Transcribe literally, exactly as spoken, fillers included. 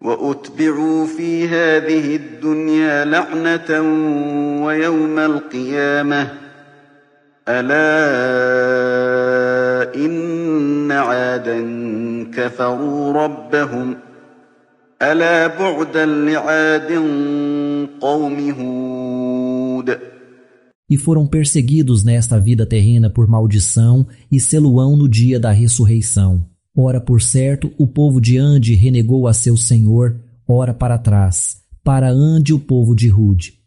وأتبعوا في هذه الدنيا لعنة ويوم القيامة ألا إن عادا كفروا ربهم ألا بعدا لعاد قوم هود. E foram perseguidos nesta vida terrena por maldição e seluão no dia da ressurreição. Ora, por certo, o povo de Ande renegou a seu Senhor, ora para trás, para Ande o povo de Rude.